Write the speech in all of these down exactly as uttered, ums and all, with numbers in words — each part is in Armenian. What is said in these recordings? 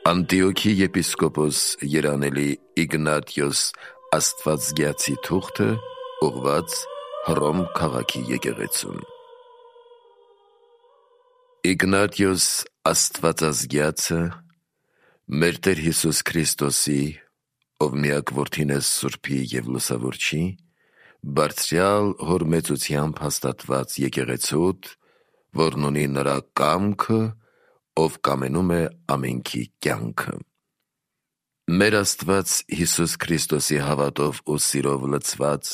Անտիոքի եպիսկոպոս երանելի Իգնատիոս Աստվածգյացի թուղթը ուղված Հռոմ քաղաքի եկեղեցուն։ Իգնատիոս Աստվածազգյացը մեր Տեր Հիսուս Քրիստոսի, ով միակ որդին է Սուրբի և Լուսավորչի, բարձրյալ հոր մեծությամբ հաստատված եկեղեցուդ, որն ունի նրա կամքը, ով կամենում է ամենքի կյանքը։ Մեր Աստված Հիսուս Քրիստոսի հավատով ու սիրով լցված,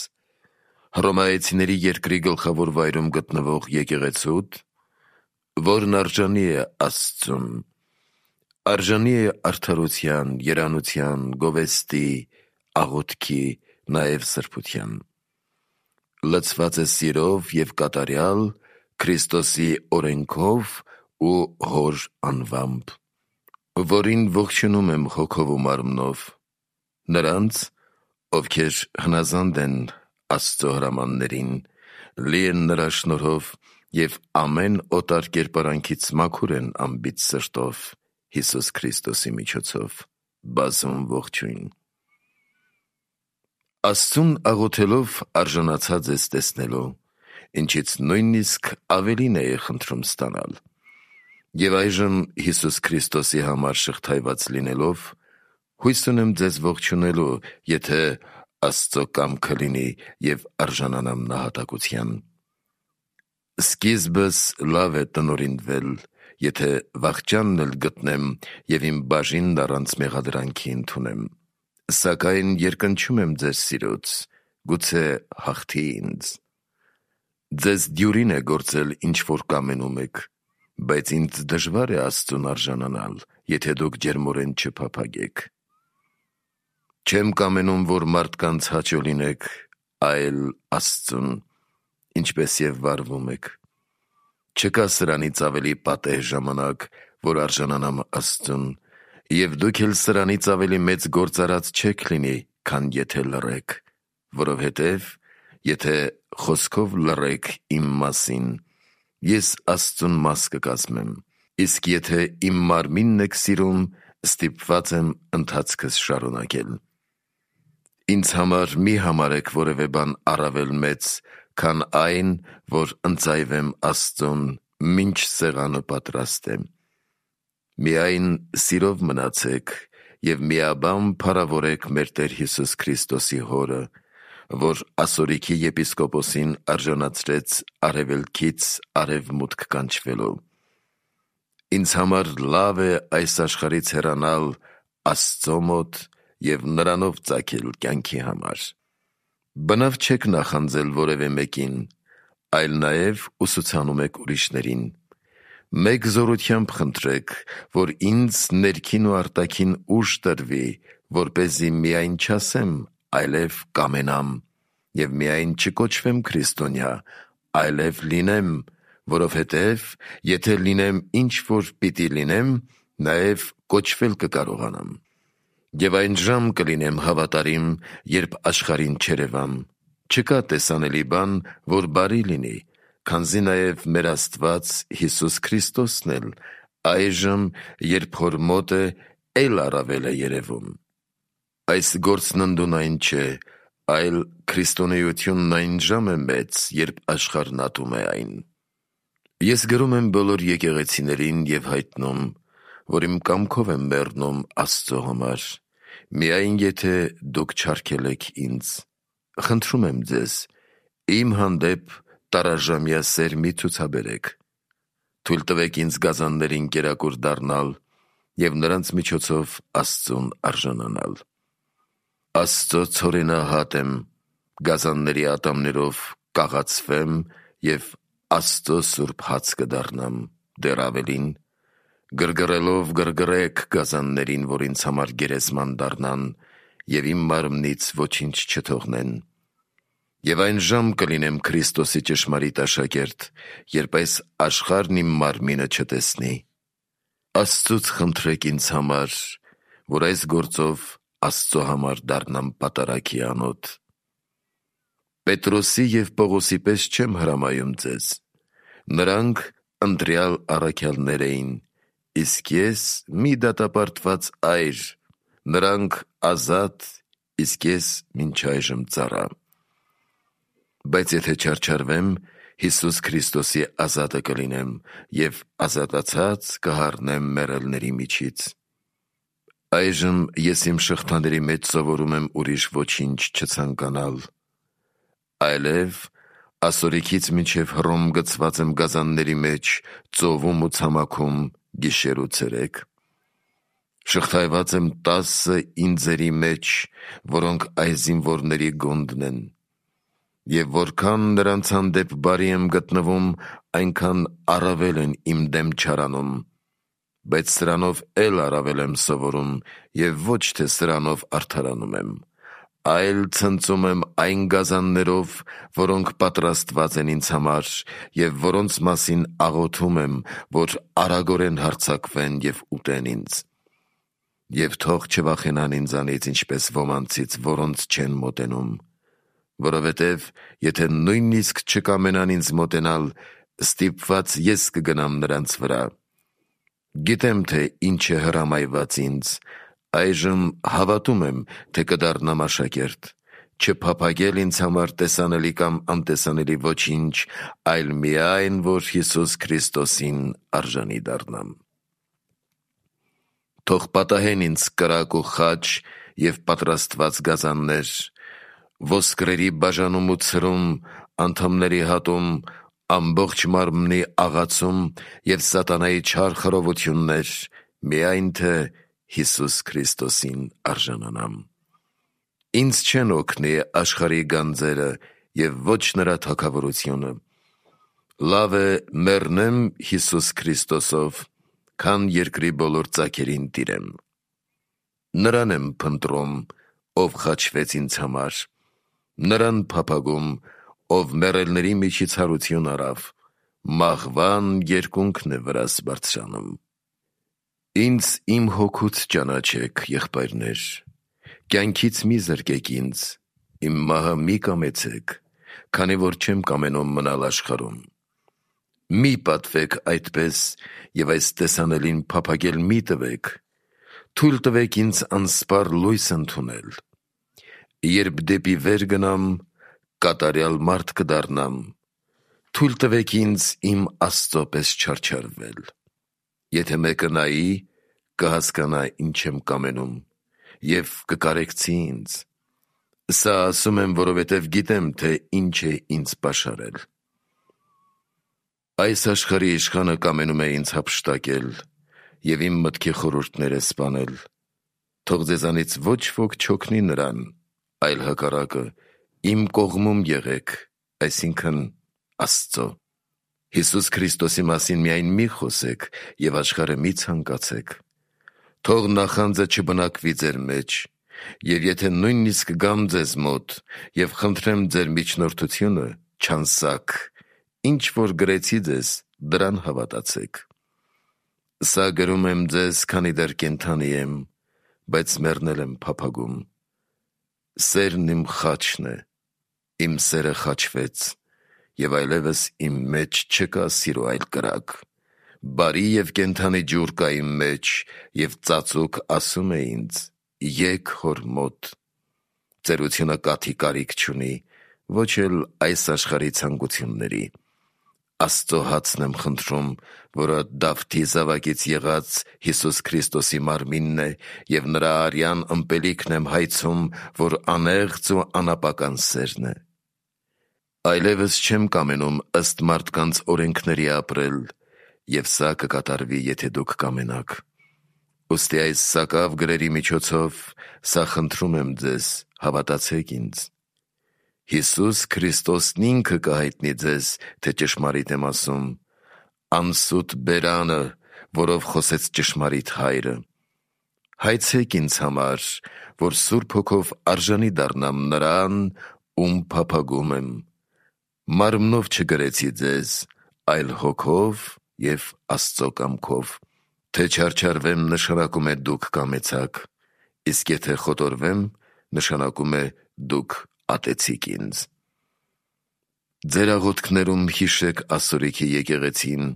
հռոմայեցիների երկրի գլխավոր վայրում գտնվող եկեղեցուդ, որն արժանի է Աստծուն, արժանի է արդարության, երանության, գովեստի, աղոթքի, նաև սրբության, լցված է սիրով և կատարյալ Քրիստոսի օրենքով ու հոր անվամբ, որին ողջունում եմ հոգով ու մարմնով, նրանց, ովքեր հնազանդ են Աստծո հրամաններին, լի են նրա շնորհով և ամեն օտար կերպարանքից մաքուր են անբիծ սրտով Հիսուս Քրիստոսի միջոցով, բազում ողջույն։ Աստծուն աղոթելով արժանացած ես տեսնելու, ինչից նույնիսկ ավելին էի խնդրում ստանալ, և այժմ Հիսուս Քրիստոսի համար շղթայված լինելով, հույս ունեմ ձեզ ողջունելու, եթե Աստծո կամքը լինի և արժանանամ նահատակության։ Սկիզբս լավ է տնօրինվել, եթե վախճանն էլ գտնեմ և իմ բաժինն առանց մեղադրանքի ընդունեմ, սակայն երկնչում եմ ձեր սիրուց, գուցե հաղթի ինձ։ Ձեզ դյուրին է գործել ինչ որ կամենում եք, բայց ինձ դժվար է Աստծուն արժանանալ, եթե դուք ջերմորեն չփափագեք։ Չեմ կամենում, որ մարդկանց հաճո լինեք, այլ Աստծուն, ինչպես և վարվում եք։ Չկա սրանից ավելի պատեհ ժամանակ, որ արժանանամ Աստծուն, և դուք էլ սրանից ավելի մեծ գործարած չեք լինի, քան եթե լռեք, որովհետև եթե խոսքով լռեք իմ մասին, ես Աստծուն մաս կկազմեմ, իսկ եթե իմ մարմինն եք սիրում, ստիպված եմ ընթացքս շարունակել։ Ինձ համար մի համարեք որևէ բան առավել մեծ, քան այն, որ ընծայվեմ Աստծուն, մինչ սեղանը պատրաստ է։ Միայն սիրով մնացեք և միաբան փառավորեք մեր Տեր Հիսուս Քրիստոսի Հորը, որ ասորիքի եպիսկոպոսին արժանացրեց արևելքից արևմուտք կանչվելու։ Ինձ համար լավ է այս աշխարհից հեռանալ Աստծո մոտ և նրանով ծագել կյանքի համար։ Բնավ չեք նախանձել որևէ մեկին, այլ նաև ուսուցանում եք ուրիշներին։ Մեկ զորությամբ խնդրեք, որ ինձ ներքին ու արտաքին ուժ տրվի, որպեսզի միայն չասեմ, այլև կամենամ, և միայն չկոչվեմ քրիստոնյա, այլև լինեմ, որովհետև եթե լինեմ ինչ որ պիտի լինեմ, նաև կոչվել կկարողանամ։ Եվ այն ժամ կլինեմ հավատարիմ, երբ աշխարհին չերևամ, չկա տեսանելի բան, որ բարի լինի, քանզի նաև մեր Աստված Հիսուս Քրիստոսն էլ այժմ, երբ հոր մոտ է, էլ առավել է երևում։ Այս գործննդուն այն չէ, այլ քրիստոնեությունն այն ժամ է մեծ, երբ աշխարհն ատում է այն։ Ես գրում եմ բոլոր եկեղեցիներին և հայտնում, որ իմ կամքով եմ մեռնում Աստծո համար, միայն եթե դուք չարգելեք ինձ։ Խնդրում եմ ձեզ, իմ հանդեպ տարաժամյա սեր մի ցուցաբերեք։ Թույլ տվեք ինձ գազաններին կերակուր դառնալ և նրանց միջոցով Աստծուն արժանանալ։ Աստծո ցորենահատ եմ, գազանների ատամներով կաղացվեմ և Աստծո սուրբ հաց կդառնամ, դեռ ավելին, գրգռելով գրգռեք գազաններին, որ ինձ համար գերեզման դառնան և իմ մարմնից ոչինչ չթողնեն։ Եվ այն ժամ կլինեմ Քրիստոսի ճշմարիտ աշակերտ, երբ այս աշխարհն իմ մարմինը չտեսնի։ Աստծուց խնդրեք ինձ համար, որ այս գործով Աստծո համար դառնամ պատարագի անոթ։ Պետրոսի և Պողոսի պես չեմ հրամայում ձեզ. նրանք ընտրյալ առաքյալներ էին, իսկ ես մի դատապարտված այր, նրանք ազատ, իսկ ես մինչ այժմ ծառա։ Բայց եթե չարչարվեմ, Հիսուս Քրիստոսի ազատը կլինեմ և ազատացած կհառնեմ մեռելների միջից։ Այժմ ես իմ շղթաների մեջ սովորում եմ ուրիշ ոչինչ չցանկանալ, այլև ասորիքից մինչև Հռոմ գցված եմ գազանների մեջ, ծովում ու ցամաքում գիշեր ու ցերեկ։ Շղթայված եմ տասը ինձերի մեջ, որոնք այս զինվորների գոնդն են, և որքան նրանց հանդեպ բարի եմ գտնվում, այնքան առավել են իմ դեմ չարանում, բայց սրանով էլ առավել եմ սովորում և ոչ թե սրանով արդարանում եմ, այլ ցնծում եմ այն գազաններով, որոնք պատրաստված են ինձ համար և որոնց մասին աղոթում եմ, որ արագորեն հարձակվեն և ուտեն ինձ։ Եվ թող չվախենան ինձանից, ինչպես ոմանցից, որոնց չեն մոտենում, որովհետև եթե նույնիսկ չկամենան ինձ մոտենալ, ստիպված ես կգնամ նրանց վրա։ Գիտեմ, թե ինչ է հրամայված ինձ, այժմ հավատում եմ, թե կդառնամ աշակերտ, չփափագել ինձ համար տեսանելի կամ անտեսանելի ոչինչ, այլ միայն, որ Հիսուս Քրիստոսին արժանի դառնամ։ Թող պատահեն ինձ կրակ ու խաչ և պատրաստված գազաններ, ոսկրերի բաժանում ու ցրում, անդամների հատում, ամբողջ մարմնի աղացում և սատանայի չար խռովություններ, միայն թե Հիսուս Քրիստոսին արժանանամ։ Ինձ չեն օգնի աշխարհի գանձերը և ոչ նրա թագավորությունը։ Լավ է մեռնեմ Հիսուս Քրիստոսով, քան երկրի բոլոր ծագերին տիրեմ։ Նրան եմ փնտրում, ով խաչվեց ինձ համար, նրան փափագում, ով մեռելների միջից հարություն առավ, մահվան երկունքն է վրաս բարձրանում։ Ինձ իմ հոգուց ճանաչեք, եղբայրներ, կյանքից մի զրկեք ինձ, իմ մահը մի կամեցեք, քանի որ չեմ կամենում մնալ աշխարհում։ Մի պատվեք այդպես և այս տեսանելին փափագել մի տվեք, թույլ տվեք ինձ անսպառ լույս ընդունել։ Երբ դեպի վեր գնամ, կատարյալ մարդ կդառնամ, թույլ տվեք ինձ իմ Աստծո պես չարչարվել։ Եթե մեկը նայի, կհասկանա ինչ եմ կամենում և կկարեկցի ինձ։ Սա ասում եմ, որովհետև գիտեմ, թե ինչ է ինձ պաշարել։ Այս աշխարհի իշխանը կամենում է ինձ հափշտակել և իմ մտքի խորհուրդները սպանել։ Թող ձեզանից ոչ ոք չօգնի նրան, այլ հակառակը, իմ կողմում եղեք, այսինքն Աստծո։ Հիսուս Քրիստոսի մասին միայն մի խոսեք և աշխարհը մի ցանկացեք։ Թող նախանձը չբնակվի ձեր մեջ, և եթե նույնիսկ գամ ձեզ մոտ և խնդրեմ ձեր միջնորդությունը, չանսաք, ինչ որ գրեցի ձեզ, դրան հավատացեք։ Սա գրում եմ ձեզ, քանի դեռ կենդանի եմ, բայց մեռնել եմ փափագում։ Սերն իմ խաչն է, իմ սերը խաչվեց, և այլևս իմ մեջ չկա սիրո այլ կրակ։ Բարի և կենդանի ջուր կա իմ մեջ, և ծածուկ ասում է ինձ. «Եկ հոր մոտ»։ Ծերությունը կաթի կարիք չունի, ոչ էլ այս աշխարհի ցանկությունների։ Աստծո հացն եմ խնդրում, որը Դավթի զավակից եղած Հիսուս Քրիստոսի մարմինն է, և նրա արյան ըմպելիքն եմ հայցում, որ անեղծ ու անապական սերն է։ Այլևս չեմ կամենում ըստ մարդկանց օրենքների ապրել, և սա կկատարվի, եթե դուք կամենաք։ Ուստի այս սակավ գրերի միջոցով սա խնդրում եմ ձեզ, հավատացեք ինձ։ Հիսուս Քրիստոսն ինքը կհայտնի ձեզ, թե ճշմարիտ եմ ասում, անսուտ բերանը, որով խոսեց ճշմարիտ Հայրը։ Հայցեք ինձ համար, որ Սուրբ Հոգով արժանի դառնամ նրան, ում փափագում եմ։ Մարմնով չգրեցի ձեզ, այլ հոգով և Աստծո կամքով։ Թե չարչարվեմ, նշանակում է դուք կամեցաք, իսկ եթե խոտորվեմ, նշանակում է դուք ատեցիք ինձ։ Ձեր աղոթքներում հիշեք ասորիքի եկեղեցին,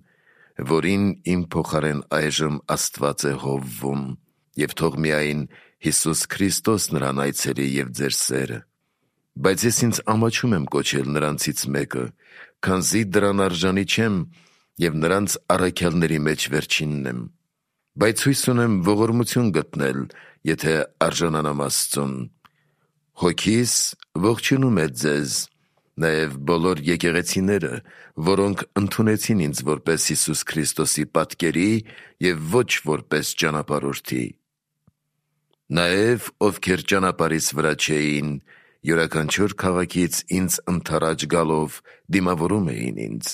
որին իմ փոխարեն այժմ Աստված է հովվում, և թող միայն Հիսուս Քրիստոս նրան այցելի և ձեր սերը։ Բայց ես ինձ ամաչում եմ կոչել նրանցից մեկը, քանզի դրան արժանի չեմ և նրանց առաքյալների մեջ վերջինն եմ։ Բայց հույս ունեմ ողորմություն գտնել, եթե արժանանամ Աստծուն։ Հոգիս ողջունում է ձեզ, նաև բոլոր եկեղեցիները, որոնք ընդունեցին ինձ որպես Հիսուս Քրիստոսի պատկերի և ոչ որպես ճանապարհորդի։ Նաև ովքեր ճանապարհիս վրա չէին, յուրաքանչյուր քաղաքից ինձ ընդառաջ գալով դիմավորում էին ինձ։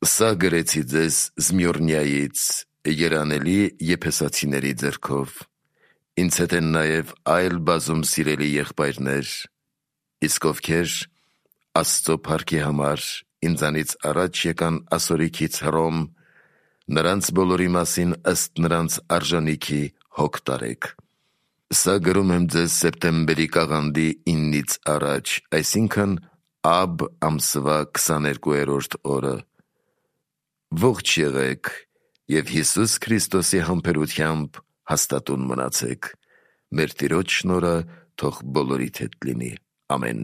Սա գրեցի ձեզ Զմյորնիայից, երանելի եփեսացիների ձեռքով։ Ինձ հետ են նաև այլ բազում սիրելի եղբայրներ, իսկ ովքեր Աստծո փառքի համար ինձանից առաջ եկան ասորիքից Հռոմ, նրանց բոլորի մասին ըստ նրանց արժանիքի հոգ տարեք։ Սա գրում եմ ձեզ սեպտեմբերի կաղանդի իննից առաջ, այսինքն Աբ ամսվա քսաներկուերորդ օրը։ Ողջ եղեք և Հիսուս Քրիստոսի համբերությամբ հաստատուն մնացեք։ Մեր Տիրոջ շնորհը թող բոլորիդ հետ լինի։ Ամեն։